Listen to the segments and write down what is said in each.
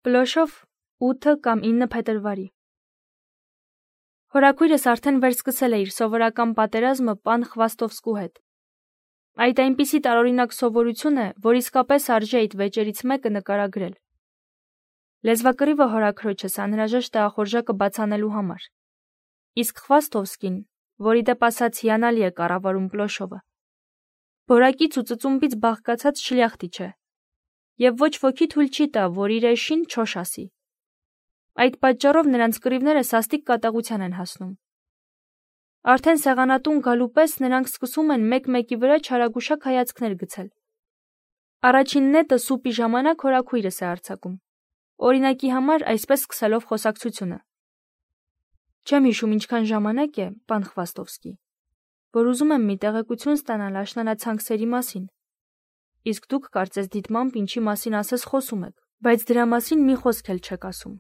Պլոշով 8 կամ 9 փետրվարի։ Հորաքույրս արդեն վերսկսել է իր սովորական պատերազմը պան Խվաստովսկու հետ։ Այդ այնպիսի տարօրինակ սովորություն է, որ իսկապես արժի այդ վեճերից մեկը նկարագրել։ Լեզվակռիվը հորաքրոջս անհրաժեշտ է ախորժակը բացանելու համար։ Իսկ Խվաստովսկին, որի դեպ ասած հիանալի է կառավարում Պլոշովը, բորակից ու ծծումբից բաղկացած շլյախտիչ է, և ոչ ոքի թույլ չի տա, որ իր էշին չոշ ասի։ Այդ պատճառով նրանց կռիվները սաստիկ կատաղության են հասնում։ Արդեն սեղանատուն գալու պես նրանք սկսում են մեկ-մեկի վրա չարագուշակ հայացքներ գցել։ Առաջին նետը սուպի ժամանակ հորաքույրս է արձակում, օրինակի համար այսպես սկսելով խոսակցությունը. Չեմ հիշում ինչքան ժամանակ է, պան Խվաստովսկի, որ ուզում եմ մի տեղեկություն ստանալ աշնանացանքսերի մասին, իսկ դուք կարծես դիտմամբ ինչի մասին ասես խոսում եք, բայց դրա մասին մի խոսք էլ չեք ասում։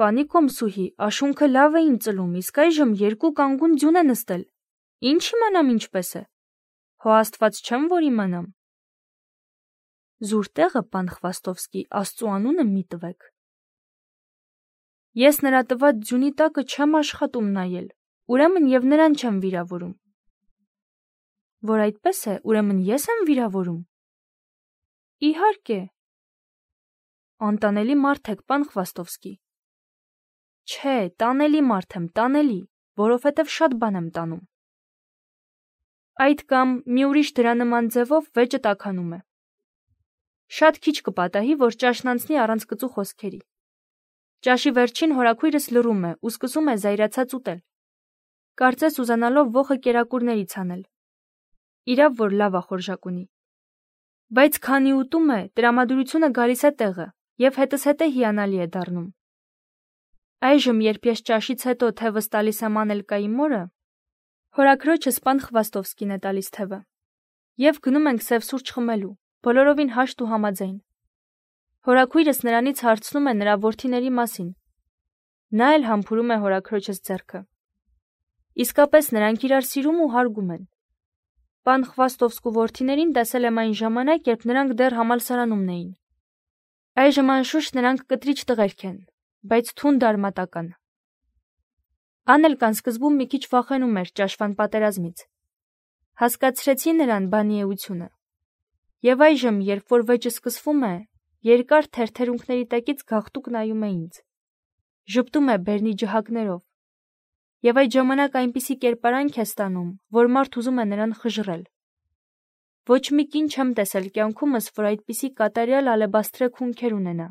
Պանի Կոմսուհի, աշունքը լավ էին ծլում, իսկ այժմ 2 կանգուն ձյուն է նստել։ Ինչ իմանամ ինչպես է։ Հո Աստված չեմ, որ իմանամ։ Զուր տեղը, պան Խվաստովսկի, Աստծու անունը մի տվեք։ Ես նրա տված ձյունի տակը չեմ աշխատում նայել, ուրեմն և նրան չեմ վիրավորում։ Որ այդպես է, ուրեմն ես եմ վիրավորում։ Իհարկե։ Անտանելի մարդ եք, պան Խվաստովսկի։ Չէ, տանելի մարդ եմ, տանելի, որովհետև շատ բան եմ տանում։ Այդ կամ մի ուրիշ դրա նման ձևով վեճը տաքանում է։ Շատ քիչ կպատահի, որ ճաշն անցնի առանց կծու խոսքերի։ Ճաշի վերջին հորաքույրս լռում է ու սկսում է զայրացած ուտել, կարծես ուզանալով ոխը կերակուրներից անել։ Իրավ, որ լավ ախորժակ ունի։ Բայց քանի ուտում է, տրամադրությունը գալիս է տեղը և հետզհետե հիանալի է դառնում։ Այժմ, երբ ես ճաշից հետո թևս տալիս եմ Անելկայի մորը, հորաքրոջս պան Խվաստովսկին է տալիս թևը, և գնում ենք սև սուրճ խմելու, բոլորովին հաշտ ու համաձայն։ Հորաքույրս նրանից հարցնում է նրա որդիների մասին։ Նա էլ համբուրում է հորաքրոջս ձեռքը։ Իսկապես նրանք իրար սիրում ու հարգում են։ Պան Խվաստովսկու որդիներին տեսել եմ այն ժամանակ, երբ նրանք դեռ համալսարանումն էին։ Այժմ անշուշտ նրանք կտրիչ տղերք են, բայց թունդ արմատական։ Անելկան սկզբում մի քիչ վախենում էր ճաշվան պատերազմից։ Հասկացրեցի նրան բանի էությունը։ Եվ այժմ, երբ որ վեճը սկսվում է, երկար թերթերունքների տակից գաղտուկ նայում է ինձ։ Ժպտում է բերնի ջհակներով։ Եվ այդ ժամանակ այնպիսի կերպարանք է ստանում, որ մարդ ուզում է նրան խժռել։ Ոչ մի կին չեմ տեսել կյանքումս, որ այդպիսի կատարյալ ալեբաստրե քունքեր ունենա,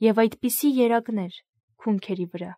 և այդպիսի երակներ քունքերի վրա։